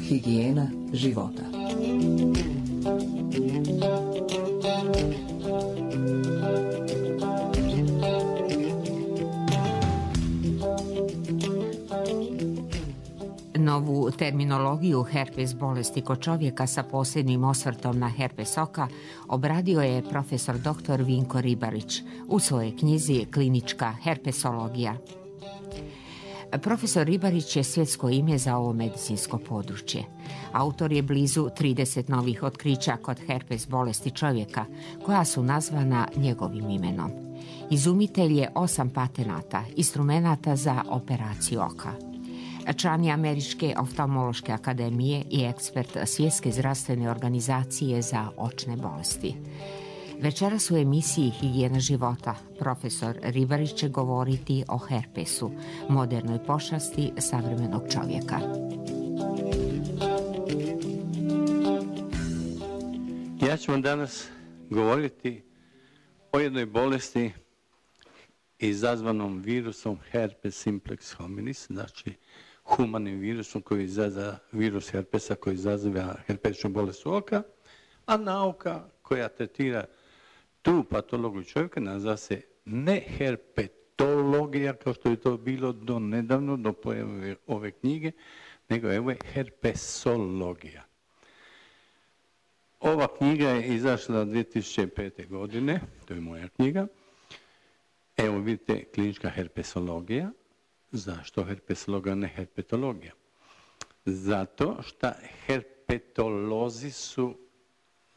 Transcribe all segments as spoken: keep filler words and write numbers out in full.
Higijena života. Novu terminologiju herpes bolesti kod čovjeka sa posebnim osvrtom na herpes oka obradio je profesor doktor Vinko Ribarić u svojoj knjizi Klinička herpesologija. Profesor Ribarić je svjetsko ime za ovo medicinsko područje. Autor je blizu trideset novih otkrića kod herpes bolesti čovjeka, koja su nazvana njegovim imenom. Izumitelj je osam patenata, instrumenata za operaciju oka. Član je Američke oftalmološke akademije i ekspert Svjetske zdravstvene organizacije za očne bolesti. Večeras u emisiji Higijena života profesor Ribarić će govoriti o herpesu, modernoj pošasti savremenog čovjeka. Ja ću vam danas govoriti o jednoj bolesti izazvanom virusom herpes simplex hominis, znači humanim virusom koji izaziva virus herpesa koji izaziva herpetičnu bolest oka, a nauka koja tretira tu patologiju čovjeka naziva se ne herpetologija, kao što je to bilo do nedavno, do pojave ove knjige, nego evo je herpesologija. Ova knjiga je izašla dvije tisuće pete. godine, to je moja knjiga. Evo vidite, klinička herpesologija. Zašto herpesologija, ne herpetologija? Zato što herpetolozi su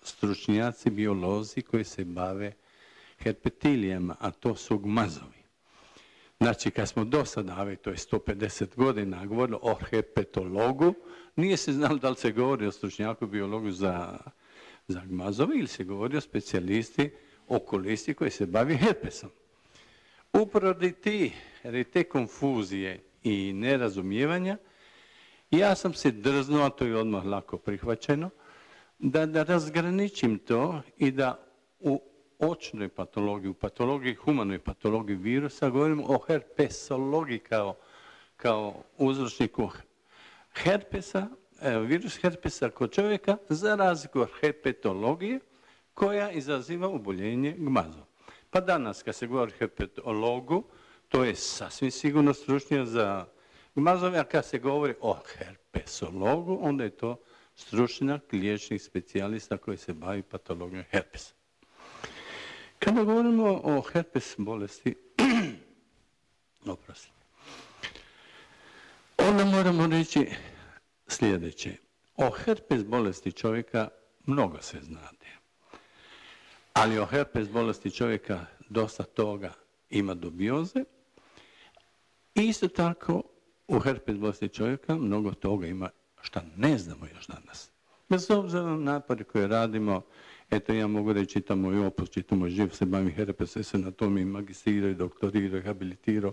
stručnjaci, biolozi koji se bave herpetilijama, a to su gmazovi. Znači, kad smo do sada, to je sto pedeset godina, govorili o herpetologu, nije se znalo da li se govori o stručnjaku, biologu za, za gmazove ili se govori o specijalisti, okulisti koji se bavi herpesom. Upravo ti, te konfuzije i nerazumijevanja, ja sam se drznuo, a to je odmah lako prihvaćeno, da, da razgraničim to i da u očnoj patologiji, u patologiji, humanoj patologiji virusa, govorimo o herpesologiji kao, kao uzročniku herpesa, virus herpesa kod čovjeka, za razliku od herpetologije koja izaziva oboljenje gmazom. Pa danas kad se govori o herpetologu, to je sasvim sigurno stručnjak za gmazove, a kad se govori o herpesologu, onda je to stručnjak, liječnik, specijalista koji se bavi patologijom herpesa. Kada govorimo o herpes bolesti, oprosti, onda moramo reći sljedeće. O herpes bolesti čovjeka mnogo se znate. Ali o herpes bolesti čovjeka dosta toga ima dubioze. Isto tako u herpes bolesti čovjeka mnogo toga ima što ne znamo još danas. Bez obzira na napore koje radimo, eto ja mogu reći, čitamo i opus, čitamo i živ, se bavim herpes, se na tome i magistrirao, i doktorirao, i habilitirao,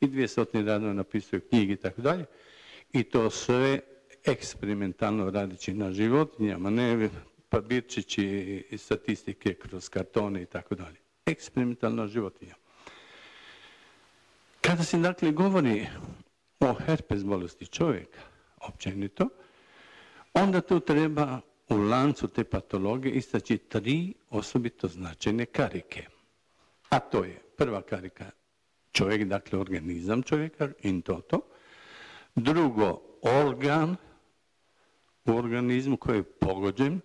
i dvije stotine radova napisao knjige i tako dalje. I to sve eksperimentalno radići na životinjama, ne papirčići i statistike kroz kartone i tako dalje. Eksperimentalna životinja. Kada se dakle govori o herpes bolesti čovjeka, općenito, onda tu treba u lancu te patologije istaći tri osobito značajne karike. A to je prva karika čovjek, dakle organizam čovjeka, in toto. Drugo, organ u organizmu koji je pogođen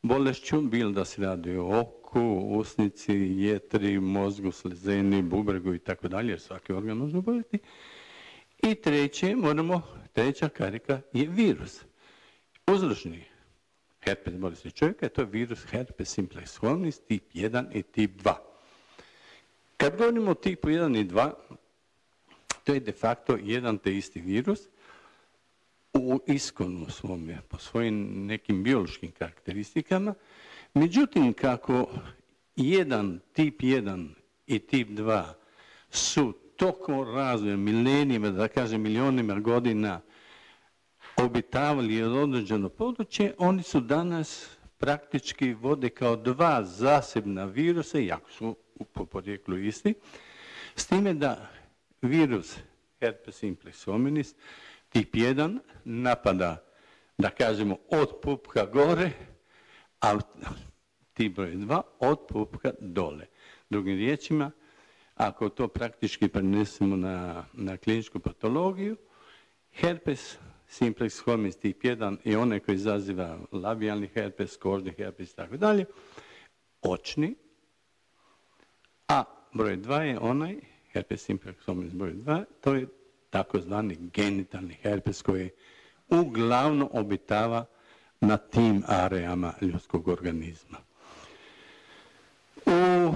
bolešću, bilo da se radi o oku, usnici, jetri, mozgu, slezeni, bubregu i tako dalje, jer svaki organ može oboljeti. I treće, moramo, treća karika je virus. Uzročni herpes bolesti čovjeka, to je virus herpes simplex hominis tip jedan i tip dva. Kad govorimo o tipu jedan i dva, to je de facto jedan te isti virus u iskonu svome, po svojim nekim biološkim karakteristikama. Međutim, kako jedan, tip jedan i tip dva su toliko razvoja, milenijima, da kažem milionima godina obitavali određeno područje, oni su danas praktički vode kao dva zasebna virusa, jako su po porijeklu isti, s time da virus herpes simplex hominis tip jedan napada, da kažemo, od pupka gore, a tip broj dva od pupka dole. Drugim riječima, ako to praktički prenesemo na, na kliničku patologiju, herpes simplex hominis tip jedan i onaj koji izaziva labijalni herpes, kožni herpes i tako dalje, očni, a broj dva je onaj, herpes simplex hominis broj dva, to je takozvani genitalni herpes koji uglavnom obitava na tim areama ljudskog organizma. U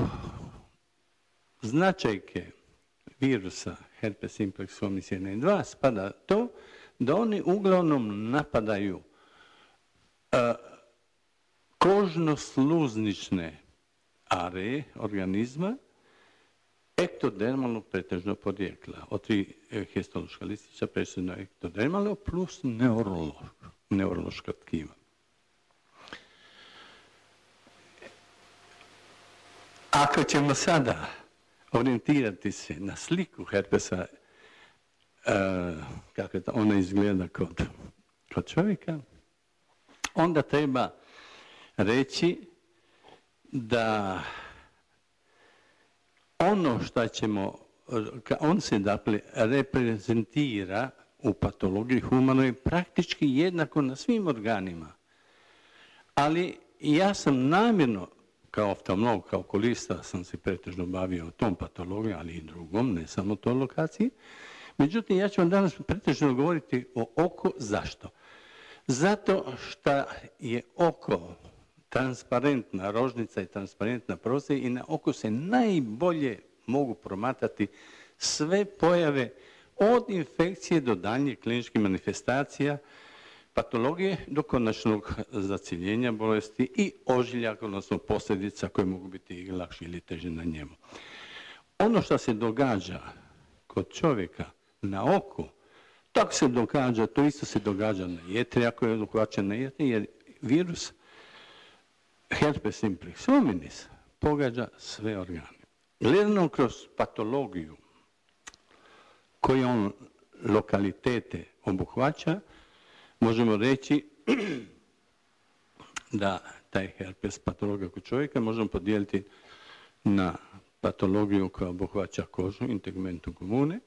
značajke virusa herpes simplex hominis jedan i dva spada to da oni uglavnom napadaju uh, kožno-sluznične areje organizma ektodermalnog pretežnog porijekla. Od tri histološka listića presudno ektodermalno plus neurološka tkiva. Ako ćemo sada orijentirati se na sliku herpesa, uh, kako ona izgleda kod, kod čovjeka, onda treba reći da ono što ćemo, on se dakle reprezentira u patologiji humanoj praktički jednako na svim organima. Ali ja sam namjerno, kao oftalmolog, kao okulista, sam se pretežno bavio tom patologijom, ali i drugom, ne samo toj lokaciji. Međutim, ja ću vam danas pretežno govoriti o oko. Zašto? Zato što je oko transparentna rožnica i transparentna prozor i na oko se najbolje mogu promatrati sve pojave od infekcije do daljnjih kliničkih manifestacija, patologije do konačnog zaciljenja bolesti i ožiljaka, odnosno posljedica koje mogu biti i lakše ili teže na njemu. Ono što se događa kod čovjeka na oku, tako se događa, to isto se događa na jetri, ako je uhvaćen na jetri, jer virus herpes simplex hominis pogađa sve organe. Gledano kroz patologiju koje on lokalitete obuhvaća, možemo reći da taj herpes patologija kod čovjeka možemo podijeliti na patologiju koja obuhvaća kožu, integmentum comune,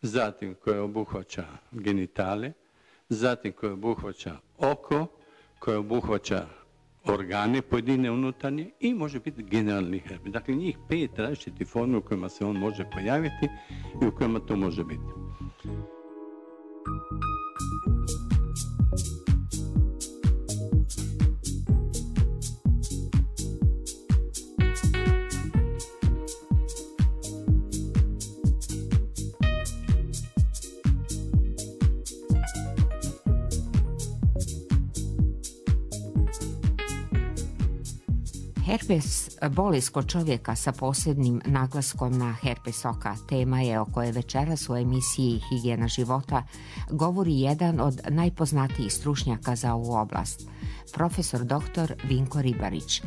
zatim koja obuhvaća genitale, zatim koja obuhvaća oko, koja obuhvaća organe pojedine unutarnje i može biti generalni herpes. Dakle, njih pet različitih formi u kojima se on može pojaviti i u kojima to može biti. Herpes, bolest kod čovjeka sa posebnim naglaskom na herpes oka, tema je o kojoj večeras u emisiji Higijena života govori jedan od najpoznatijih stručnjaka za ovu oblast, profesor doktor Vinko Ribarić,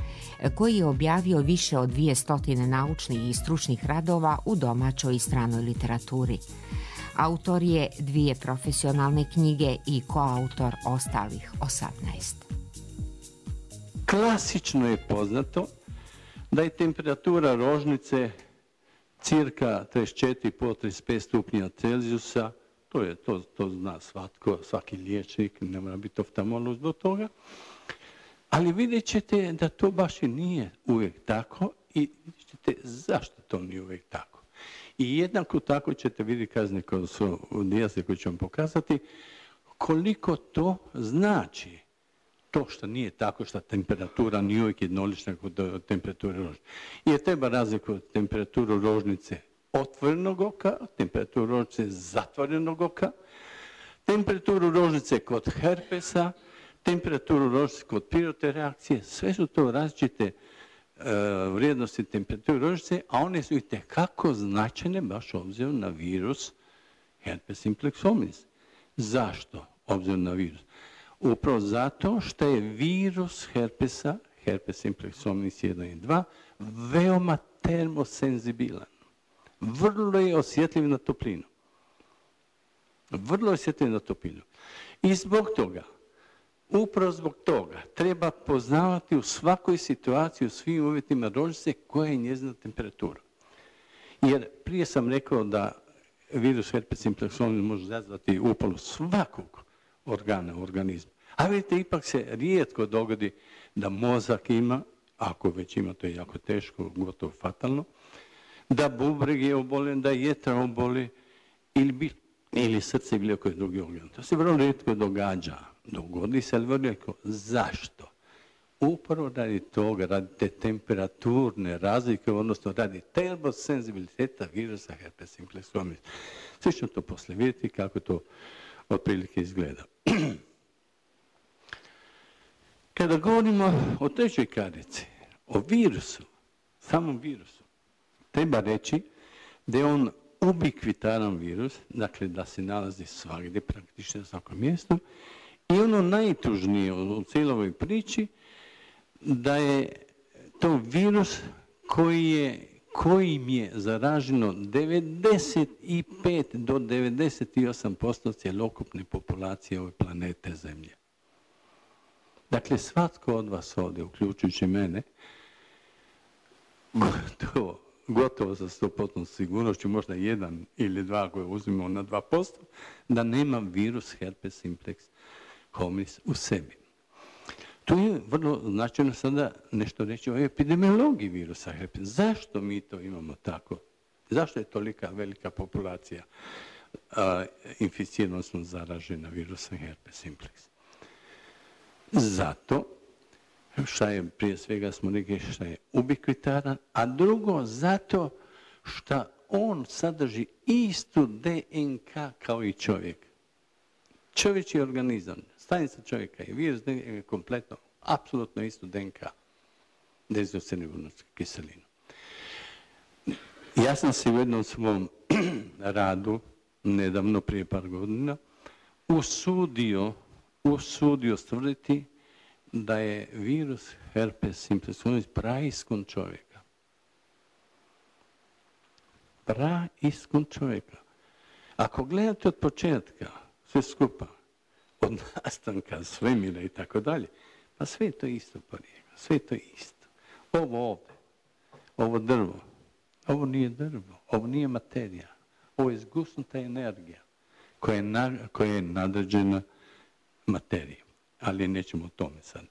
koji je objavio više od dvije stotine naučnih i stručnih radova u domaćoj i stranoj literaturi. Autor je dvije profesionalne knjige i koautor ostalih osamnaest. Klasično je poznato da je temperatura rožnice cirka trideset četiri do trideset pet stupnja Celzijusa, to, je, to, to zna svatko, svaki liječnik, ne mora biti oftalmolog do toga, ali vidjet ćete da to baš i nije uvijek tako i vidjet ćete zašto to nije uvijek tako. I jednako tako ćete vidjeti kazne koje su u dijaze koje ću vam pokazati, koliko to znači. To što nije tako, što temperatura nije uvijek jednolična kod temperature rožnice. Jer treba razlikovati temperaturu rožnice otvorenog oka, temperaturu rožnice zatvorenog oka, temperaturu rožnice kod herpesa, temperaturu rožnice kod pirotne reakcije. Sve su to različite uh, vrijednosti temperature rožnice, a one su itekako značajne baš obzirom na virus herpes simplex hominis. Zašto obzirom na virus? Upravo zato što je virus herpesa, herpes simplex hominis jedan i dva, veoma termosenzibilan. Vrlo je osjetljiv na toplinu. Vrlo je osjetljiv na toplinu. I zbog toga, upravo zbog toga, treba poznavati u svakoj situaciji, u svim uvjetima rođice koja je njezina temperatura. Jer prije sam rekao da virus herpes simplex hominis može izazvati upalu svakog organa u organizmu. A vidite, ipak se rijetko dogodi da mozak ima, ako već ima, to je jako teško, gotovo fatalno, da bubreg je oboljen, da jetra oboli ili, bi, ili srce ili koji drugi organ. To se vrlo rijetko događa. Dogodi se, ali vrlo rijetko. Zašto? Upravo radi toga, radi te temperaturne razlike, odnosno radi termosenzibiliteta virusa herpes simplex hominis. Svi ćemo to poslije vidjeti kako to otprilike izgleda. Kada govorimo o trećoj karici, o virusu, samom virusu, treba reći da je on ubikvitaran virus, dakle da se nalazi svagdje, praktično na svakom mjestu, i ono najtužnije u cijeloj ovoj priči, da je to virus koji je, kojim je zaraženo devedeset pet do devedeset osam posto cjelokupne populacije ove planete Zemlje. Dakle, svatko od vas ovdje, uključujući mene, gotovo, gotovo sa sto posto sigurnošću, možda jedan ili dva koje uzmemo na dva posto, da nema virus herpes simplex hominis u sebi. Tu je vrlo značajno sada nešto reći o epidemiologiji virusa herpes. Zašto mi to imamo tako? Zašto je tolika velika populacija a, inficirana, odnosno zaražena virusom herpes simplex? Zato što je, prije svega smo rekli, što je ubikvitaran, a drugo zato što on sadrži istu D N K kao i čovjek. Čovječji organizam, stanica čovjeka je virus je kompletno, apsolutno istu D N K, dezoksiribonusku kiselinu. Ja sam se u jednom svom radu, nedavno prije par godina, usudio, usudio stvrditi da je virus herpes simplex hominis praiskon čovjeka. Praiskon čovjeka. Ako gledate od početka, sve skupa, od nastanka svemira i tako dalje, pa sve je to isto porijeklo, sve je to isto. Ovo ovdje, ovo drvo, ovo nije drvo, ovo nije materija, ovo je zgusnuta energija koja je, na, koja je nadređena materiji. Ali nećemo o tome sad.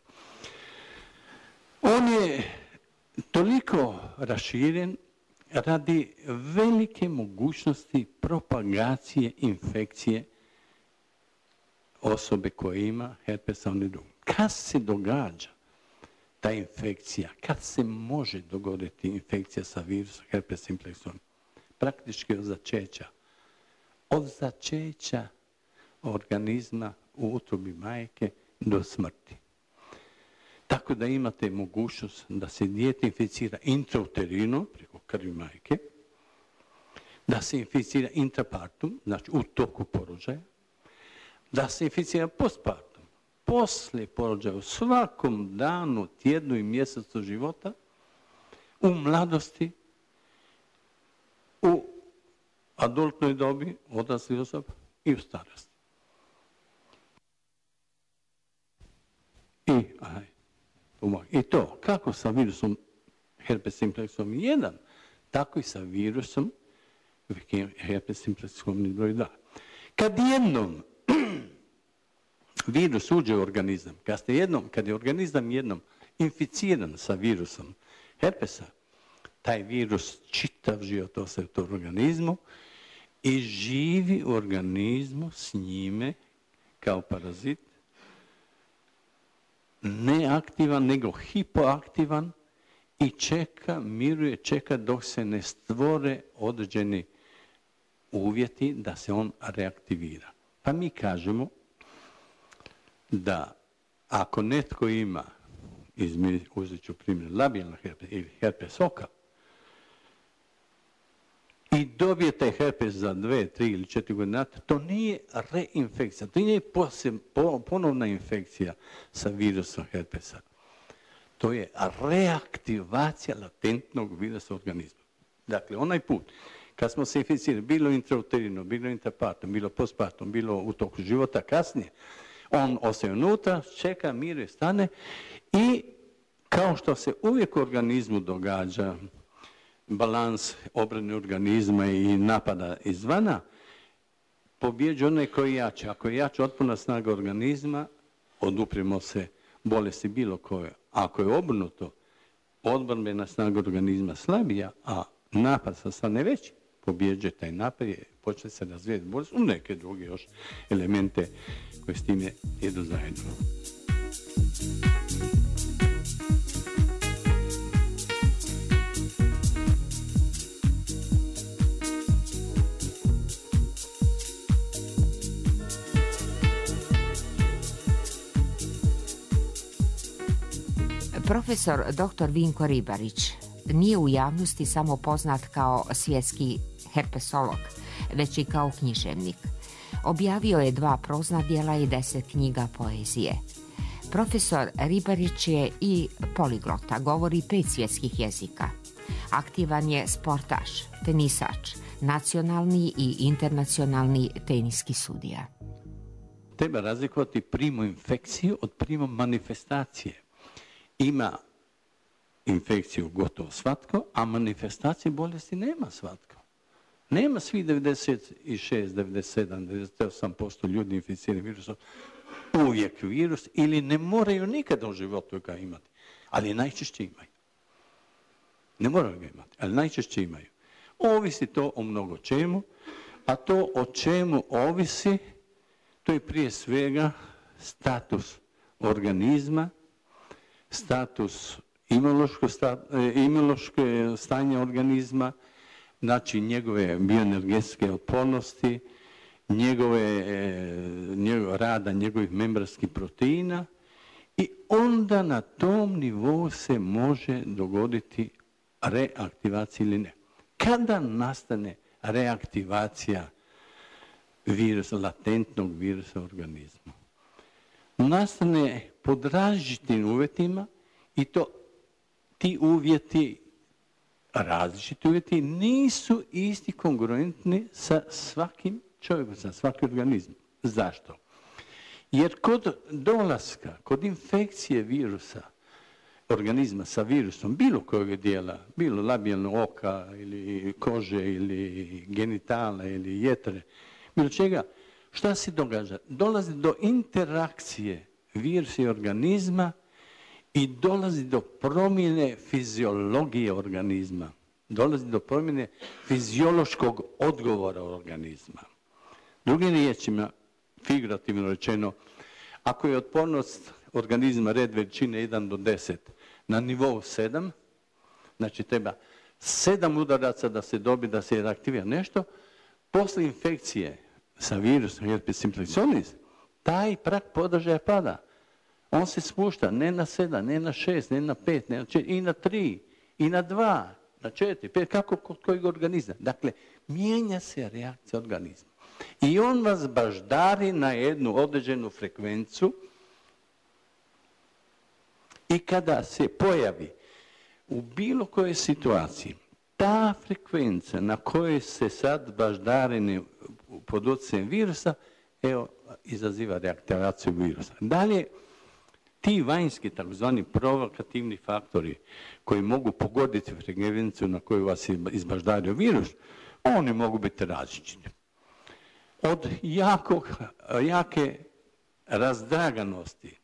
On je toliko raširen radi velike mogućnosti propagacije infekcije osobe koja ima herpes simplex. Kad se događa ta infekcija, kad se može dogoditi infekcija sa virusom herpes simplex? Praktički od začeća. Od začeća organizma u utrobi majke do smrti. Tako da imate mogućnost da se dijete inficira intrauterino, preko krvi majke, da se inficira intrapartum, znači u toku porođaja, da se inficira postpartum, poslije porođaja, u svakom danu, tjednu i mjesecu života, u mladosti, u adultnoj dobi, odraslih osoba i u starosti. I, aj, I to, kako sa virusom herpes simplex hominis jedan, tako i sa virusom herpes simplex hominis broj dva. Kad jednom virus uđe u organizam, kad, ste jednom, kad je organizam jednom inficiran sa virusom herpesa, taj virus čitav život ostaje u tom organizmu i živi u organizmu s njime kao parazit, neaktivan, nego hipoaktivan i čeka, miruje, čeka dok se ne stvore određeni uvjeti da se on reaktivira. Pa mi kažemo da ako netko ima, uzet ću primjer labijalna herpes ili herpes oka, i dobijete herpes za dve, tri ili četiri godine, to nije reinfekcija, to nije ponovna infekcija sa virusom herpesa. To je reaktivacija latentnog virusa organizma. Dakle, onaj put kad smo se inficirali, bilo intrauterino, bilo intrapartum, bilo postpartum, bilo u toku života kasnije, on ostaje unutra, čeka, miruje, stane i kao što se uvijek u organizmu događa balans obrane organizma i napada izvana, pobjeđuje onaj koji je jači. Ako je jača otporna snaga organizma, odupremo se bolesti bilo koje. Ako je obrnuto, odbrambena snaga organizma slabija, a napad sa strane veći, pobjeđuje taj napad i počne se razvijeti bolest u neke druge još elemente koje s time idu zajedno. Profesor doktor Vinko Ribarić nije u javnosti samo poznat kao svjetski herpesolog, već i kao književnik. Objavio je dva prozna djela i deset knjiga poezije. Profesor Ribarić je i poliglota, govori pet svjetskih jezika. Aktivan je sportaš, tenisač, nacionalni i internacionalni teniski sudija. Treba razlikovati primu infekciju od primu manifestacije. Ima infekciju gotovo svatko, a manifestacije bolesti nema svatko. Nema svi devedeset šest, devedeset sedam, devedeset osam posto ljudi inficirani virusom uvijek virus ili ne moraju nikada u životu ga imati, ali najčešće imaju. Ne moraju ga imati, ali najčešće imaju. Ovisi to o mnogo čemu, a to o čemu ovisi, to je prije svega status organizma, status imunološko, imunološko stanje organizma, znači njegove bioenergetske otpornosti, njegove, njegove rada, njegovih membranskih proteina i onda na tom nivou se može dogoditi reaktivacija ili ne. Kada nastane reaktivacija virusa, latentnog virusa u organizmu? Nastane pod različitim uvjetima i to ti uvjeti, različiti uvjeti, nisu isti kongruentni sa svakim čovjekom, sa svakim organizmom. Zašto? Jer kod dolaska, kod infekcije virusa, organizma sa virusom, bilo kojeg dijela, bilo labijalnog oka ili kože ili genitala ili jetre, bilo čega, šta se događa? Dolazi do interakcije virusa i organizma i dolazi do promjene fiziologije organizma. Dolazi do promjene fiziološkog odgovora organizma. Drugim riječima, figurativno rečeno, ako je otpornost organizma red veličine jedan do deset na nivou sedam, znači treba sedam udaraca da se dobi, da se reaktivira nešto, posle infekcije sa virusom herpes simplex, taj prag podržaja pada. On se spušta ne na sedam, ne na šest, ne na pet, ne na četiri, i na tri, i na dva, na četiri, pet, kako kod kojeg organizma. Dakle, mijenja se reakcija organizma. I on vas baždari na jednu određenu frekvencu i kada se pojavi u bilo kojoj situaciji ta frekvenca na kojoj se sad baždareni pod utjecajem virusa, evo, izaziva reaktivaciju virusa. Dalje, ti vanjski, takozvani provokativni faktori koji mogu pogoditi frekvenciju na koju vas izbaždario virus, oni mogu biti različiti. Od jakog, jake razdraganosti,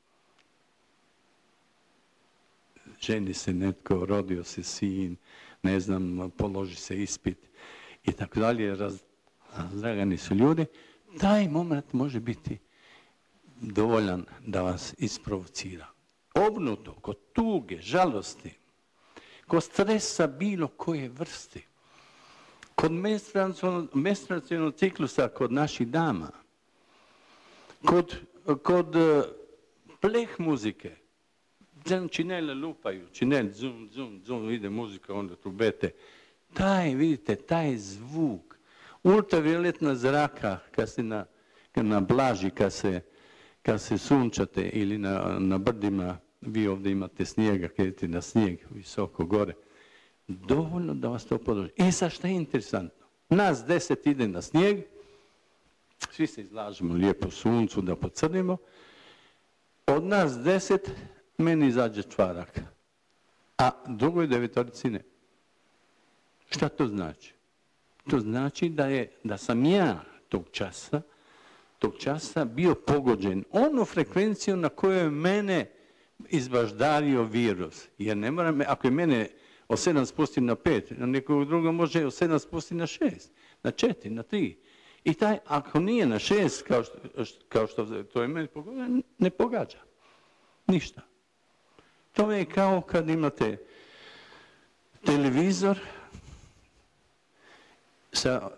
ženi se netko, rodio se sin, ne znam, položi se ispit i tako dalje, razdragani su ljudi, taj moment može biti dovoljan da vas isprovocira. Obnuto, kod tuge, žalosti, kod stresa bilo koje vrste, kod menstruacionog ciklusa kod naših dama, kod, kod pleh muzike, činele lupaju, činel, zum, zum, zum, ide muzika, onda trubete, Taj, vidite, taj zvuk, ultravioletna zraka, kad se na, kad na blaži, kad se, kad se sunčate ili na, na brdima, vi ovdje imate snijega, kad idete na snijeg visoko gore, dovoljno da vas to podrži. I sad šta je interesantno? Nas deset ide na snijeg, svi se izlažemo lijepo suncu da pocrnimo, od nas deset meni izađe čvarak, a drugoj devetorici ne. Šta to znači? To znači da, je, da sam ja tog časa, tog časa bio pogođen onu frekvenciju na kojoj je mene izbaždario virus. Jer ne moram, ako je mene od sedam spusti na pet, na nekog drugog može od sedam spusti na šest, na četiri, na tri. I taj, ako nije na šest, kao što, kao što to je meni pogođa, ne pogađa. Ništa. To je kao kad imate televizor sa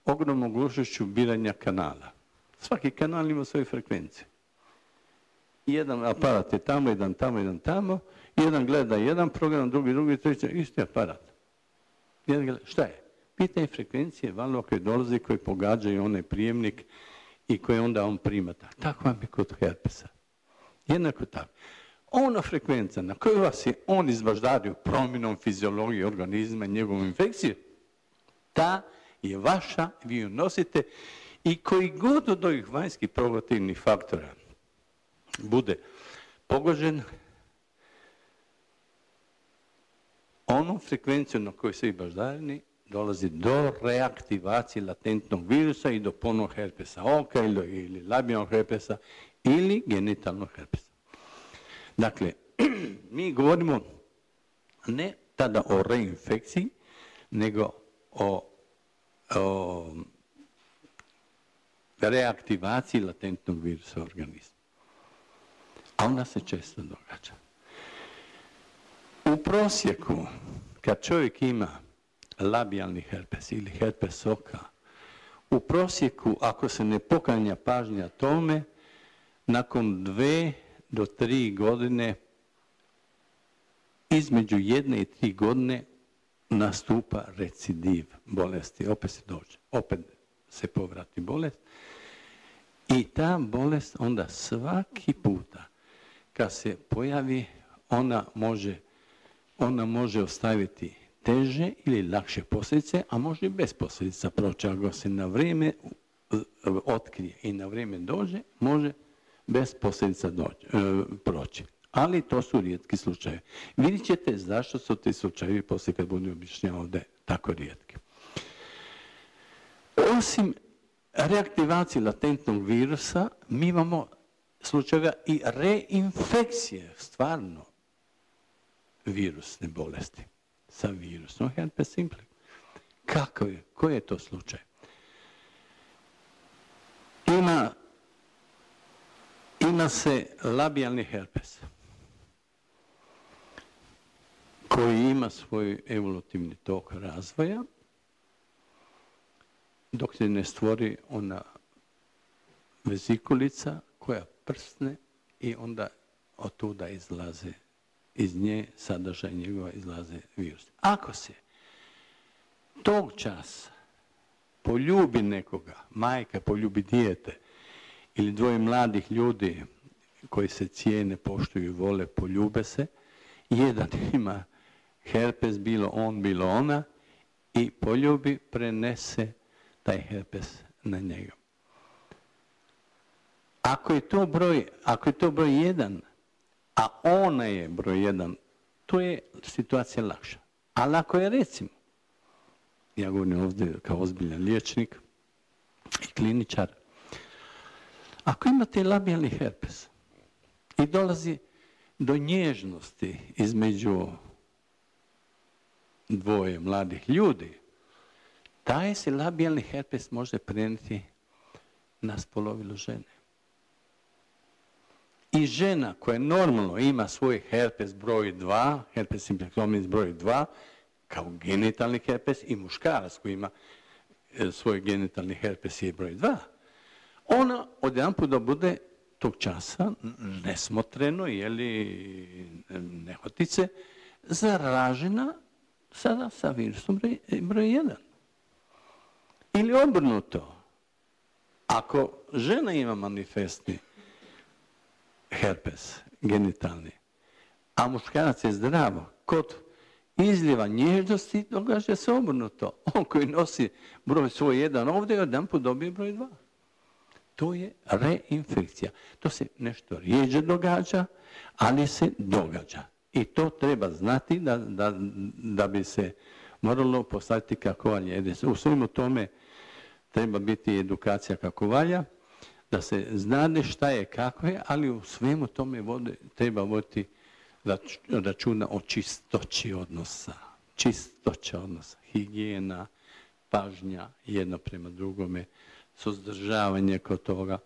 ogromnom glušošću biranja kanala. Svaki kanal ima svoju frekvenciju. Jedan aparat je tamo, jedan tamo, jedan tamo. Jedan gleda jedan program, drugi, drugi, treći, isti aparat. Jedan gleda, šta je? Pitanje frekvencije valova koje dolaze, koje pogađaju onaj prijemnik i koje onda on primata. Tako vam je kod herpesa. Jednako tako. Ona frekvencija na kojoj vas je on izbaždario promjenom fiziologije organizma i njegovom infekcije, ta je vaša, vi ju nosite i koji god od ovih vanjskih provokativnih faktora bude pogođen, onom frekvencijom na kojoj se baždareni dolazi do reaktivacije latentnog virusa i do ponovnog herpesa oka ili, ili labijalnog herpesa ili genitalnog herpesa. Dakle, mi govorimo ne tada o reinfekciji, nego o, o reaktivaciji latentnog virusa u organizmu. A ona se često događa. U prosjeku, kad čovjek ima labijalni herpes ili herpes oka, u prosjeku, ako se ne poklanja pažnja tome, nakon dve do tri godine, između jedne i tri godine, nastupa recidiv bolesti. Opet se dođe, opet se povrati bolest. I ta bolest onda svaki puta kad se pojavi, ona može, ona može ostaviti teže ili lakše posljedice, a može i bez posljedica proći. Ako se na vrijeme otkrije i na vrijeme dođe, može bez posljedica dođe, proći. Ali to su rijetki slučajevi. Vidjet ćete zašto su ti slučajevi poslije kad budem objašnjavao ovdje tako rijetki. Osim reaktivacije latentnog virusa, mi imamo slučajeva i reinfekcije, stvarno virusne bolesti sa virusom herpes simplex. Kako je? Koji je to slučaj? Ima, ima se labijalni herpes koji ima svoj evolutivni tok razvoja dok se ne stvori ona vezikulica koja prsne i onda od tuda izlaze, iz nje sadržaj njegova izlaze virus. Ako se tog časa poljubi nekoga, majka poljubi dijete ili dvoje mladih ljudi koji se cijene, poštuju i vole, poljube se, jedan ima herpes, bilo on, bilo ona, i poljubi, prenese taj herpes na njega. Ako je to broj, ako je to broj jedan, a ona je broj jedan, to je situacija lakša. Ali ako je, recimo, ja govorim ovdje kao ozbiljan liječnik i kliničar, ako imate labijalni herpes i dolazi do nježnosti između dvoje mladih ljudi, taj se labijalni herpes može prenijeti na spolovilo žene. I žena koja normalno ima svoj herpes broj dva, herpes simplex broj dva, kao genitalni herpes, i muškarac koji ima svoj genitalni herpes je broj dva, ona odjedanput da bude tog časa nesmotreno ili nehotice zaražena sada sa virusom broj, broj jedan. Ili obrnuto. Ako žena ima manifestni herpes genitalni, a muškarac je zdravo, kod izljeva nježnosti događa se obrnuto. On koji nosi broj svoj jedan ovdje, jedan put dobije broj dva. To je reinfekcija. To se nešto rijeđe događa, ali se događa. I to treba znati da, da, da bi se moralo postaviti kako valja. U svemu tome treba biti edukacija kako valja, da se znade šta je, kako je, ali u svemu tome vode, treba voditi računa o čistoći odnosa. Čistoća odnosa, higijena, pažnja jedno prema drugome, suzdržavanje kod toga.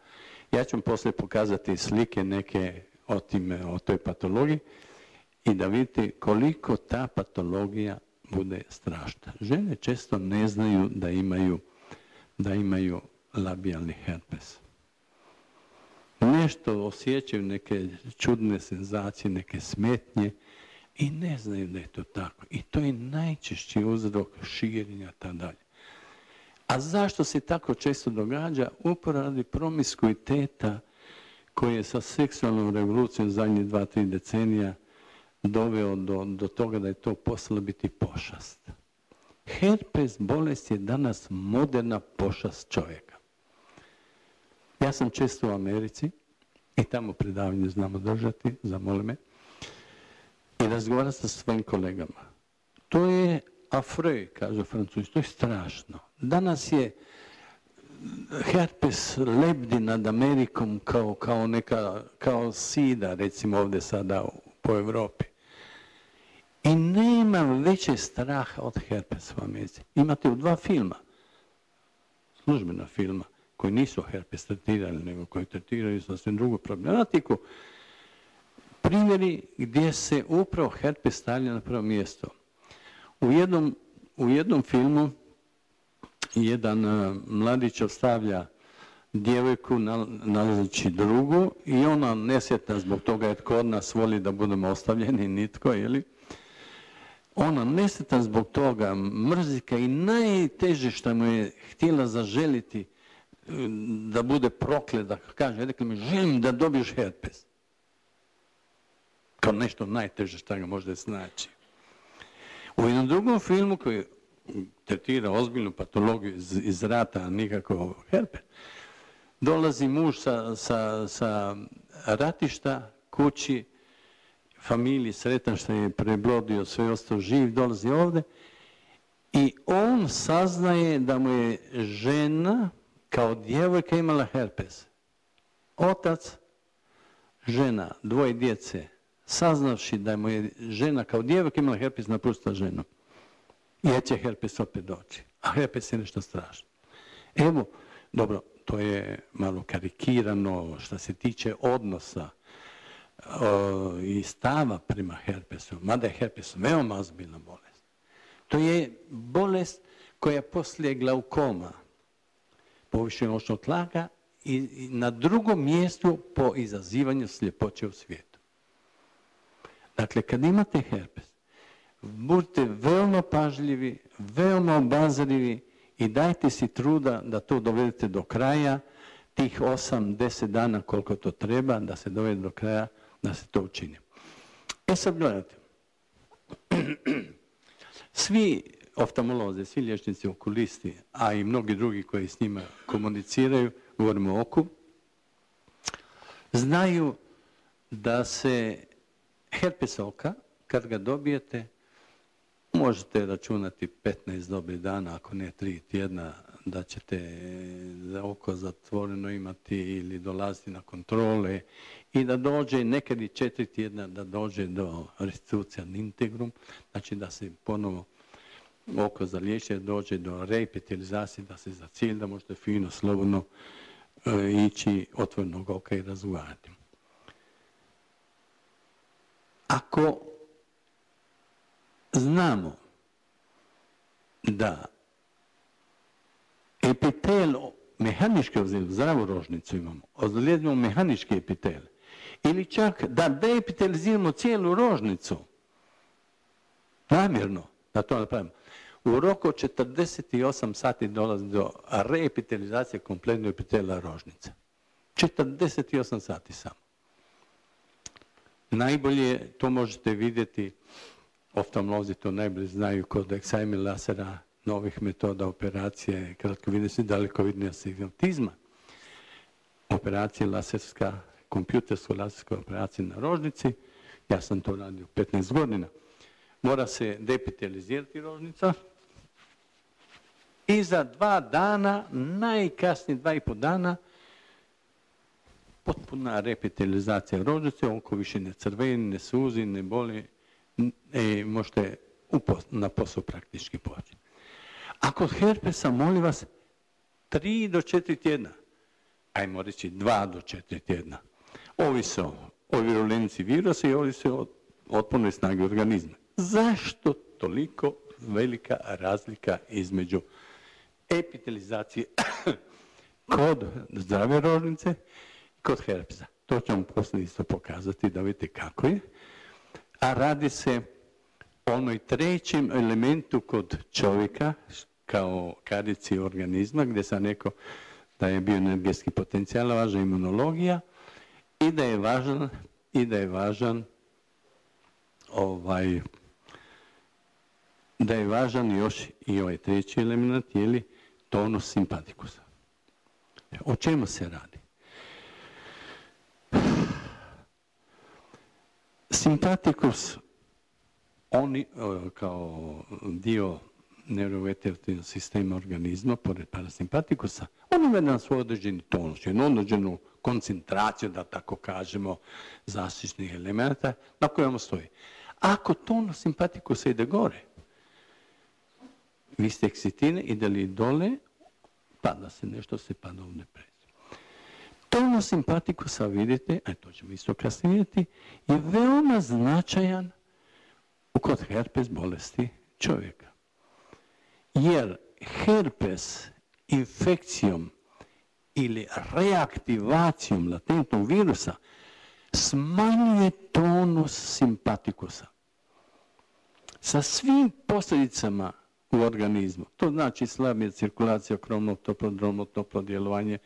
Ja ću vam poslije pokazati slike neke o, time, o toj patologiji i da vidite koliko ta patologija bude strašna. Žene često ne znaju da imaju, da imaju labijalni herpes. Nešto osjećaju, neke čudne senzacije, neke smetnje i ne znaju da je to tako. I to je najčešći uzrok širenja tada dalje. A zašto se tako često događa? Upravo radi promiskuiteta koji je sa seksualnom revolucijom zadnjih dva, tri decenija doveo do, do toga da je to postalo biti pošast. Herpes bolest je danas moderna pošast čovjeka. Ja sam često u Americi i tamo predavanje znamo držati, zamoli me, i razgovarati sa svojim kolegama. To je afroj, kažu Francuzi, to je strašno. Danas je herpes lebdi nad Amerikom kao, kao, neka, kao sida, recimo ovdje sada po Europi. I nema veće straha od herpesa u Americi. Imate u dva filma, službena filma, koji nisu herpes tretirali, nego koji tretiraju sasvim drugu problematiku, primjeri gdje se upravo herpes stavlja na prvo mjesto. U jednom, u jednom filmu jedan uh, mladić ostavlja djevojku nalazeći drugu i ona nesjetna zbog toga jer tko od nas voli da budemo ostavljeni, nitko, jeli? Ona nesjetna zbog toga, mrzika i najteže što mu je htjela zaželiti da bude proklet, da kaže, rekli mi, želim da dobiješ herpes. Kao nešto najteže što ga možda znači. U jednom drugom filmu koji tretira ozbiljnu patologiju iz, iz rata, a nikako herpes, dolazi muž sa, sa, sa ratišta kući, familiji, sretan što je prebrodio, sve ostao živ, dolazi ovdje i on saznaje da mu je žena kao djevojka imala herpes. Otac, žena, dvoje djece, saznavši da mu je žena kao djevojka imala herpes, napustila ženu. Jer će herpes opet doći. A herpes je nešto strašno. Evo, dobro, to je malo karikirano što se tiče odnosa o, i stava prema herpesu. Mada je herpes veoma ozbiljna bolest. To je bolest koja je poslije glaukoma, povišenog očnog tlaka i, i na drugom mjestu po izazivanju sljepoće u svijetu. Dakle, kad imate herpes, budite veoma pažljivi, veoma obazrivi i dajte si truda da to dovedete do kraja, tih osam, deset dana koliko to treba, da se dovede do kraja, da se to učini. E sad gledajte, svi oftalmolozi, svi liječnici okulisti, a i mnogi drugi koji s njima komuniciraju, govorimo o oku, znaju da se herpes oka, kad ga dobijete, možete računati petnaest dobrih dana, ako ne tri tjedna, da ćete za oko zatvoreno imati ili dolaziti na kontrole i da dođe nekad i četiri tjedna da dođe do restitucija ad integrum, znači da se ponovo oko za liječenje dođe do reepitelizacije, da se za cilj da možete fino, slobodno e, ići otvorenog oka i razgovarati. Ako znamo da epitel mehanički ozlijedimo, zdravu rožnicu imamo, ozlijedimo mehanički epitel, ili čak da deepiteliziramo cijelu rožnicu, namjerno, da to napravimo. U roku od četrdeset osam sati dolazi do reepitelizacije kompletnog epitela rožnice. četrdeset osam sati samo. Najbolje to možete vidjeti, oftalmolozi to najbolje znaju, kod Excimer lasera, novih metoda operacije, kratkovidnosti, dalekovidne astigmatizma. Operacija laserska, kompjutersko laserska operacija na rožnici, ja sam to radio petnaest godina. Mora se depitalizirati rožnica i za dva dana, najkasnije dva i po dana, potpuna repitalizacija rožnice, oko više ne crveni, ne suzi, ne boli, e, možete na posao praktički poći. A kod herpesa, molim vas, tri do četiri tjedna, ajmo reći dva do četiri tjedna, ovisi o virulenciji virusa i ovisi o otpornoj snagi organizma. Zašto toliko velika razlika između epitelizacije kod zdrave rožnice i kod herpesa? To ću vam poslije isto pokazati da vidite kako je. A radi se o onoj trećem elementu kod čovjeka kao karici organizma, gdje sam rekao da je bioenergetski potencijal, važna imunologija i da je važan, i da je važan ovaj, da je važan još i ovaj treći element, je li tonus simpatikusa. O čemu se radi? Simpatikus, oni kao dio neurovegetativnog sistema organizma, pored parasimpatikusa, on ima jedan svoj određeni tonus, jednu određenu koncentraciju, da tako kažemo, zaštitnih elemenata na kojem stoji. Ako tonus simpatikusa ide gore, vi ste eksitine, ide li dole, pada se nešto, se pada u depresiju. Tonus simpatikusa, vidite, a to ćemo isto kasnije vidjeti, je veoma značajan kod herpes bolesti čovjeka. Jer herpes infekcijom ili reaktivacijom latentnog virusa smanjuje tonus simpatikusa sa svim posljedicama u organizmu. To znači slabija cirkulacija, kromno, toplodromno, toplo djelovanje,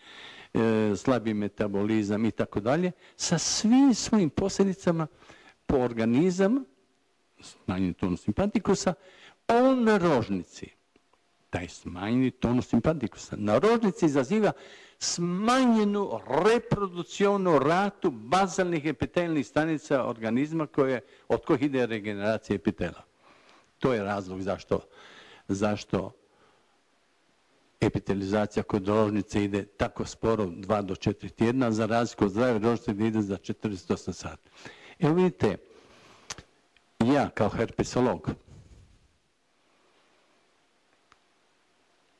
e, slabiji metabolizam i tako dalje. Sa svim svojim posljedicama po organizam, smanjeni tonus simpatikusa, on na rožnici, taj smanjeni tonus simpatikusa, na rožnici izaziva smanjenu reprodukcionu ratu bazalnih epitelnih stanica organizma koje, od kojih ide regeneracija epitela. To je razlog zašto, zašto epitelizacija kod rožnice ide tako sporo, dva do četiri tjedna, za razliku od zdrave rožnice gdje ide za četrdeset osam sati. Evo vidite, ja kao herpesolog,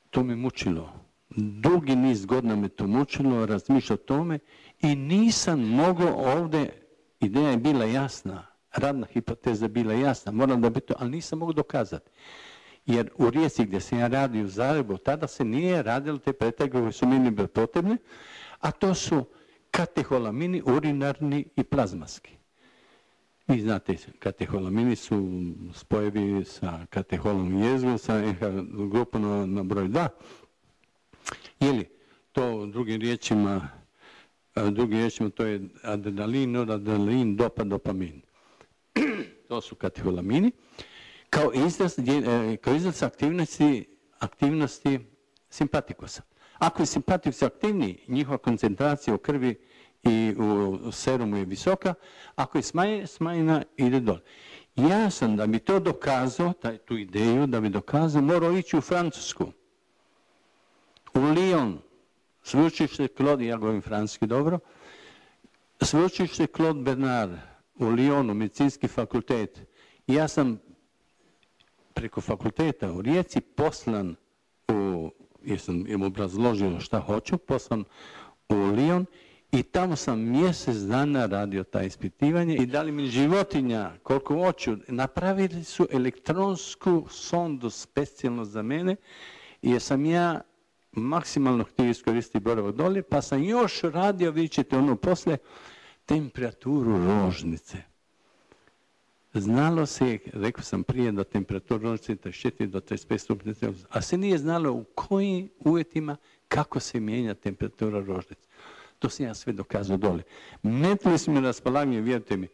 to me mučilo. Dugi niz godina me to mučilo, razmišljao o tome i nisam mogao ovdje, ideja je bila jasna, radna hipoteza je bila jasna, moram da bi to, ali nisam mogao dokazati. Jer u Rijeci gdje sam ja radio u Zagrebu, tada se nije radilo te pretrage koje su meni bile potrebne, a to su kateholamini, urinarni i plazmaski. Vi znate, kateholamini su spojevi sa kateholom jezgom, sa grupom na broj dva. Ili to drugim riječima, drugim riječima to je adrenalin, noradrenalin, dopa, dopamin. To su kateholamini. Kao izraz, kao izraz aktivnosti, aktivnosti simpatikusa. Ako je simpatikus aktivniji, njihova koncentracija u krvi i u serumu je visoka, ako je smanjena, smanjena ide dole. Ja sam, da bi to dokazao, taj, tu ideju, da bi dokazao, morao ići u Francusku. U Lyon, sveučilište Claude, ja govorim francuski dobro, sveučilište Claude Bernard u Lyonu, medicinski fakultet. Ja sam preko fakulteta u Rijeci poslan u, jer sam im obrazložio šta hoću, poslan u Lyon i tamo sam mjesec dana radio taj ispitivanje i dali mi životinja koliko hoću. Napravili su elektronsku sondu specijalno za mene jer sam ja maksimalno htio iskoristiti boravak dolje, pa sam još radio, vidjet ćete ono poslije, temperaturu rožnice. znalo se, rekao sam prije, da temperatura rožice trideset četiri do trideset pet stupnja Celzijusa, a se nije znalo u kojim uvjetima kako se mijenja temperatura rožice. To sam ja sve dokazao dole. Metili smo mi raspolaganje, vjerujte mi,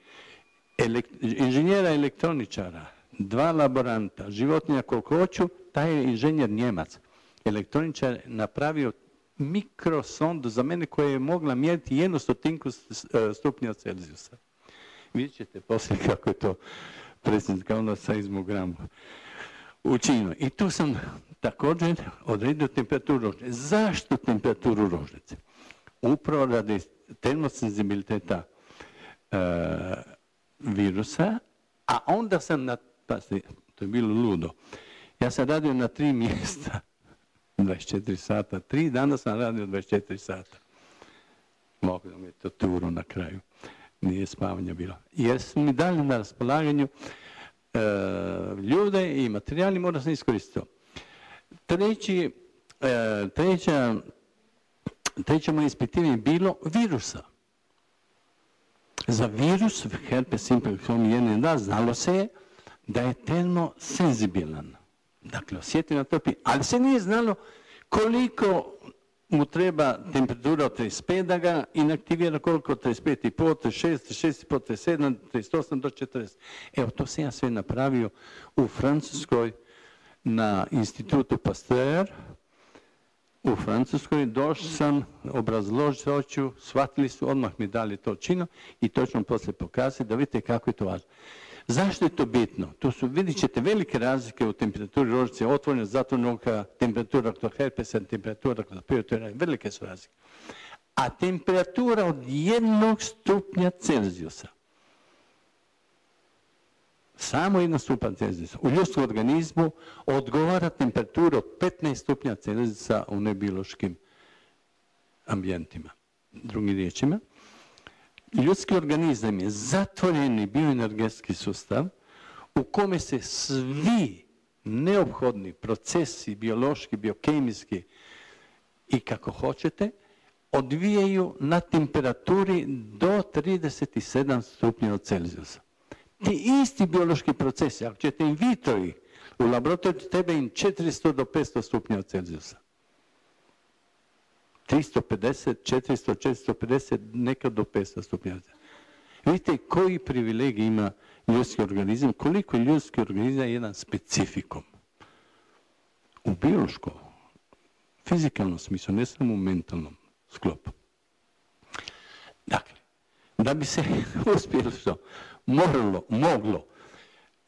inženjera elektroničara, dva laboranta, životinja koliko hoću, taj je inženjer Njemac. Elektroničar napravio mikrosondu za mene koja je mogla mjeriti jednu stotinku stupnja Celzijusa. Vidjet ćete poslije kako je to predsjednik kao na seizmogramu učinio. I tu sam također odredio temperaturu rožice. Zašto temperaturu rožice? Upravo radi termosenzibiliteta e, virusa, a onda sam, na, pa to je bilo ludo, ja sam radio na tri mjesta, dvadeset četiri sata, tri dana sam radio dvadeset četiri sata. Mogu da mi je to turu na kraju, nije spavanja bilo. Jer su mi dali na raspolaganju e, ljude i materijali, mora sam iskoristiti to. Treći, e, treća, treće moje ispitivanje je bilo virusa. Za virus, herpes simplex jedan da, znalo se je da je termosenzibilan. Dakle, osjeti na topi, ali se nije znalo koliko mu treba temperatura od trideset pet da ga inaktivira, koliko od trideset pet i pol, trideset šest, trideset šest i pol, trideset sedam, trideset osam do četrdeset. Evo, to sam ja sve napravio u Francuskoj na institutu Pasteur. U Francuskoj došao sam, obrazložiti hoću, shvatili su, odmah mi dali to čino i to ću vam poslije pokazati da vidite kako je to važno. Zašto je to bitno? To su, vidjet ćete, velike razlike u temperaturi rožice, otvorena, zatvorena oka, temperatura kod herpesa, temperatura kod piotora, velike su razlike. A temperatura od jednog stupnja Celzijusa, samo jedan stupanj Celzijusa, u ljudskom organizmu odgovara temperatura od petnaest stupnja Celzijusa u nebiološkim ambijentima. Drugim riječima, ljudski organizam je zatvoreni bioenergetski sustav u kome se svi neophodni procesi, biološki, biokemijski i kako hoćete, odvijaju na temperaturi do trideset sedam stupnjeva Celzijusa. Ti isti biološki procesi, ako ćete in vitro ih u laboratoriju, treba im četiristo do petsto stupnjeva Celzijusa. tristo pedeset, četiristo, četiristo pedeset, nekad do petsto stupnjeva. Vidite koji privilegij ima ljudski organizam, koliko ljudski organizam je jedan specifikum. U biološkom, fizikalnom smislu, ne samo u mentalnom sklopu. Dakle, da bi se uspjelo što moralo, moglo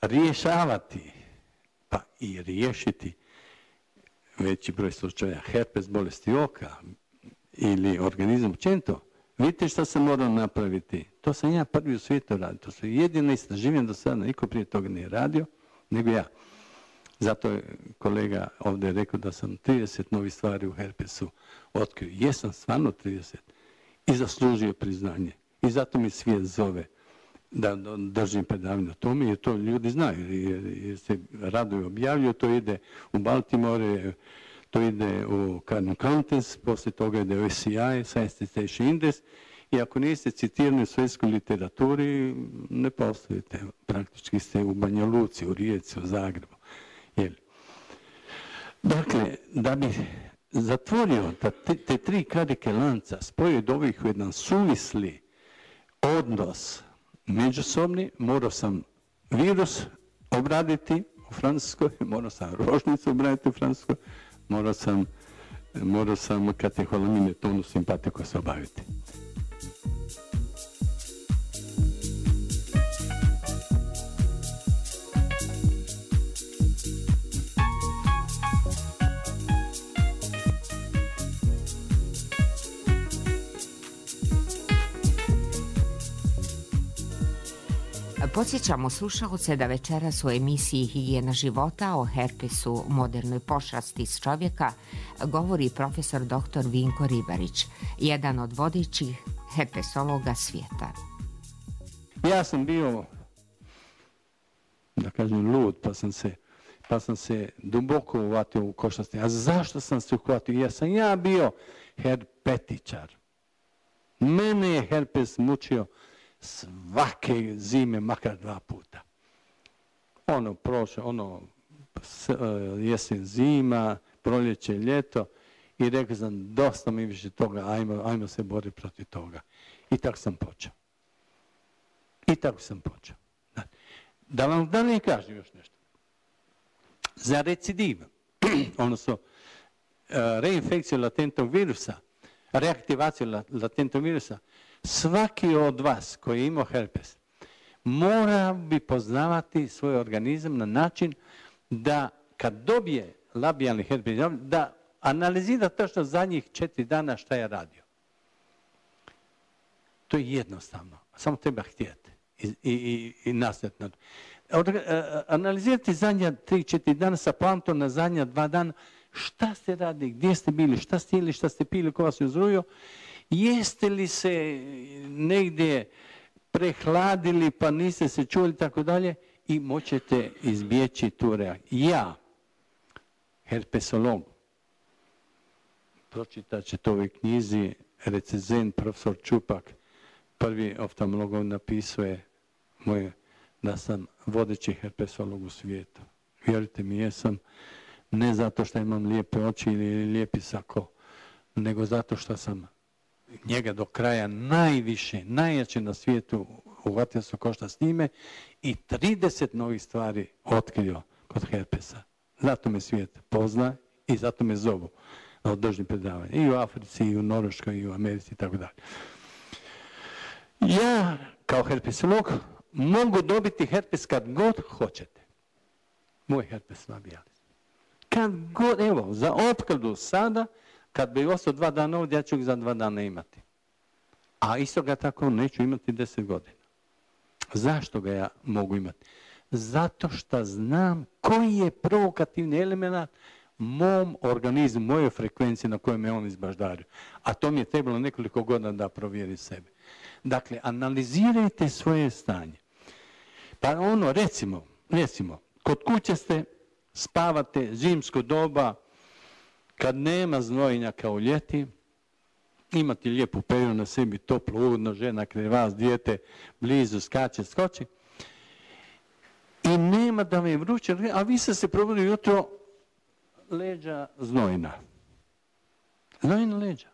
rješavati, pa i riješiti veći broj slučaja herpes bolesti oka ili organizam općenito, vidite što se mora napraviti. To sam ja prvi u svijetu radio. To su jedine istraživanja do sada, niko prije toga nije radio, nego ja. Zato je kolega ovdje rekao da sam trideset novih stvari u herpesu otkrio. Jesam stvarno trideset i zaslužio priznanje. I zato mi svijet zove da držim predavanje o tome, jer to ljudi znaju, jer, jer se raduju objavljuju, to ide u Baltimore, to ide u Cardinal Counties, poslije toga ide u S C I, Science Citation Index, i ako niste citirani u svjetskoj literaturi, ne postojite, praktički ste u Banja Luci, u Rijeci, u Zagrebu. Jel? Dakle, da bi zatvorio da te, te tri karike lanca, spojio od ovih u jedan suvisli odnos međusobni, morao sam virus obraditi u Francuskoj, morao sam rožnicu obraditi u Francuskoj, morao sam, morao sam kateholamine tonu simpatiku se obaviti. Podsjećamo slušalce da večeras u emisiji Higijena života o herpesu, modernoj pošasti s čovjeka, govori profesor doktor Vinko Ribarić, jedan od vodećih herpesologa svijeta. Ja sam bio, da kažem, lud, pa sam se, pa sam se duboko uvatio u košasti. A zašto sam se uhvatio? Jer sam ja bio herpetičar. Mene je herpes mučio svake zime, makar dva puta. ono prošlo, ono jesen, zima, proljeće, ljeto i rekao sam dosta mi više toga, ajmo, ajmo se boriti protiv toga. I tako sam počeo. I tako sam počeo. Da vam da ne kažem još nešto. Za recidiv, odnosno reinfekciju latentnog virusa, reaktivaciju latentnog virusa, svaki od vas koji je imao herpes mora bi poznavati svoj organizam na način da kad dobije labijalni herpes, da analizira točno zadnjih četiri dana šta je radio. To je jednostavno. Samo treba htjeti i, i, i, i nastojati. Analizirati zadnja tri četiri dana sa plantom na zadnja dva dana. Šta ste radili, gdje ste bili, šta ste jeli, šta ste pili, ko vas je uzrujio. Jeste li se negdje prehladili pa niste se čuli, tako dalje. I moćete izbjeći tu reakciju. Ja, herpesolog, pročitat ćete u ovoj knjizi, recenzent profesor Čupak, prvi oftalmolog napisuje moje, da sam vodeći herpesolog u svijetu. Vjerujte mi, jesam, ne zato što imam lijepe oči ili lijepi sako, nego zato što sam njega do kraja najviše, najjače na svijetu uhvatio se košta s njime i trideset novih stvari otkrio kod herpesa. Zato me svijet pozna i zato me zovu na održnim predavanja. I u Africi, i u Norveškoj, i u Americi, i tako dalje. Ja, kao herpesolog, mogu dobiti herpes kad god hoćete. Moj herpes labialis. Kad god, evo, za opkladu sada, kad bi ostao dva dana ovdje, ja ću ga za dva dana imati. A isto ga tako neću imati deset godina. Zašto ga ja mogu imati? Zato što znam koji je provokativni element mom organizmu, mojoj frekvenciji na kojoj me on izbaždario. A to mi je trebalo nekoliko godina da provjeri sebe. Dakle, analizirajte svoje stanje. Pa ono, recimo, recimo, kod kuće ste, spavate, zimsko doba, kad nema znojenja kao ljeti, imate lijepu perinu na sebi, toplo, ugodno, žena kraj vas, dijete blizu, skače, skoči. I nema da vam je vruće, a vi ste se probudili jutro, leđa znojna. Znojna leđa.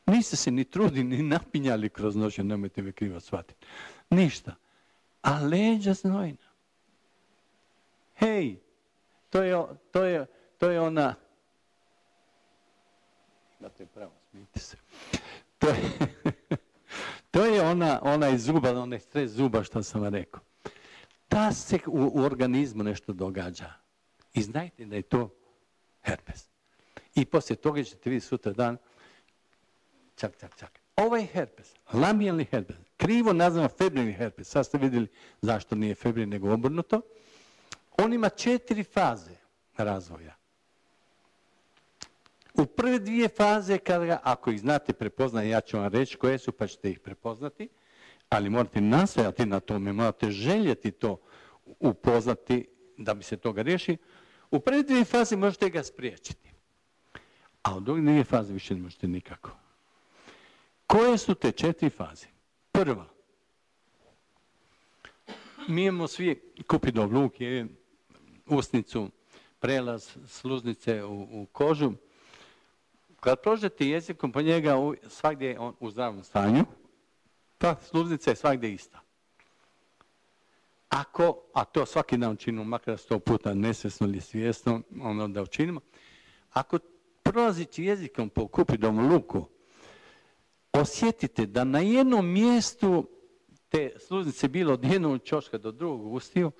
Niste se ni trudili, ni napinjali kroz noć, nemojte me krivo shvatiti. Ništa. A leđa znojna. Hej, to je, to je, to je ona... Imate pravo, smijte se. To je, to je ona, ona iz zuba, onaj stres zuba što sam vam rekao. Ta se u, u organizmu nešto događa. I znajte da je to herpes. I poslije toga ćete vidjeti sutra dan, čak, čak, čak. Ovaj herpes, labijalni herpes, krivo nazvan febrilni herpes, sad ste vidjeli zašto nije febrilni nego obrnuto, on ima četiri faze razvoja. U prve dvije faze, kada ga, ako ih znate prepoznati, ja ću vam reći koje su, pa ćete ih prepoznati, ali morate nastojati na tome, morate željeti to upoznati da bi se toga riješili. U prve dvije faze možete ga spriječiti, a u druge dvije faze više ne možete nikako. Koje su te četiri faze? Prva. Mi imamo svi Kupidov luk, usnicu, prelaz sluznice u, u kožu. Kad prođete jezikom po njega, svagdje je on u zdravom stanju, ta sluznica je svagdje ista. Ako, a to svaki dan učinimo, makar sto puta nesvjesno ili svjesno, ono da učinimo, ako prolazići jezikom po Kupidovom luku, osjetite da na jednom mjestu te sluznice bilo od jednog ćoška do drugog ustiju,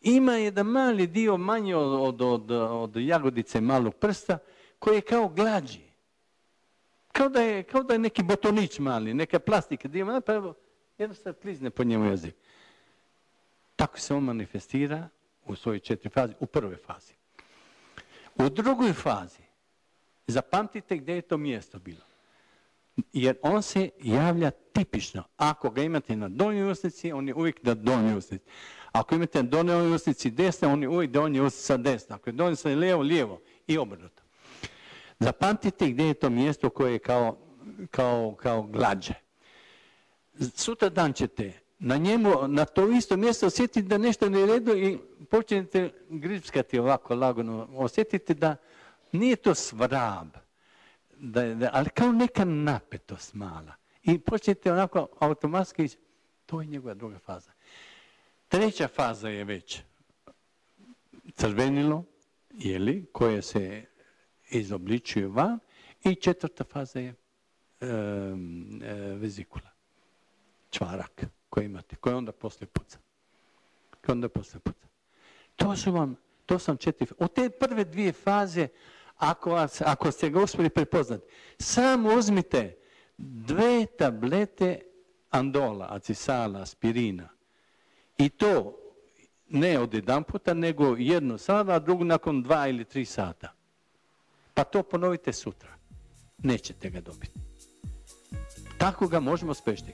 ima jedan mali dio manji od, od, od, od jagodice malog prsta koji je kao glađi. Kao da je, kao da je neki botonić mali, neka plastika dio, pa evo, jednostavno klizne po njemu jezik. Tako se on manifestira u svojoj četiri fazi, u prvoj fazi. U drugoj fazi, zapamtite gdje je to mjesto bilo. Jer on se javlja tipično. Ako ga imate na donjoj usnici, on je uvijek na donjoj usnici. Ako imate na donjoj usnici desna, on je uvijek donjoj usnica desna. Ako je donjoj usnici lijevo, lijevo i obrnuto. Zapamtite gdje je to mjesto koje je kao, kao, kao glađe. Sutra dan ćete na njemu, na to isto mjesto osjetite da nešto ne redu i počnete gripskati ovako lagano. Osjetite da nije to svrab, da, da, ali kao neka napetost mala. I počnete onako automatski, to je njegova druga faza. Treća faza je već crvenilo, jeli, koje se izobličuje van, i četvrta faza je e, e, vezikula, čvarak koji imate, koji onda poslije puca. Koji onda poslije puca. To su vam, to sam četiri, od te prve dvije faze, ako, vas, ako ste ga uspjeli prepoznati, samo uzmite dve tablete andola, acisala, aspirina, i to ne od jedan puta, nego jednu sada, a drugu nakon dva ili tri sata. Pa to ponovite sutra. Nećete ga dobiti. Tako ga možemo spriječiti.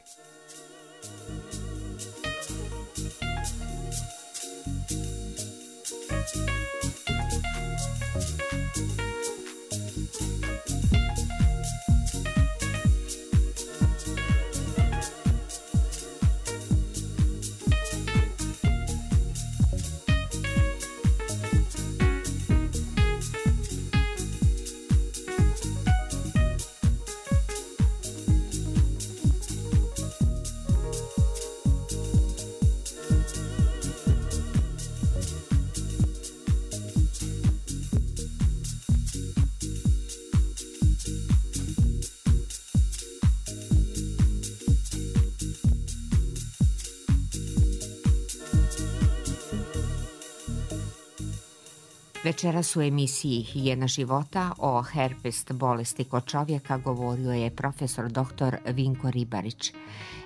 Večeras u emisiji Higijena života o herpes bolesti kod čovjeka govorio je profesor doktor Vinko Ribarić,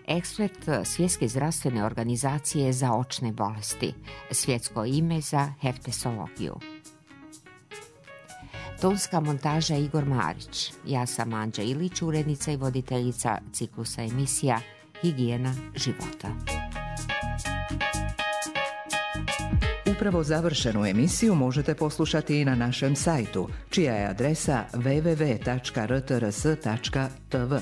ekspert Svjetske zdravstvene organizacije za očne bolesti, svjetsko ime za herpesologiju. Tonska montaža Igor Marić, ja sam Anđa Ilić, urednica i voditeljica ciklusa emisija Higijena života. Upravo završenu emisiju možete poslušati i na našem sajtu, čija je adresa w w w tačka r t r s tačka t v.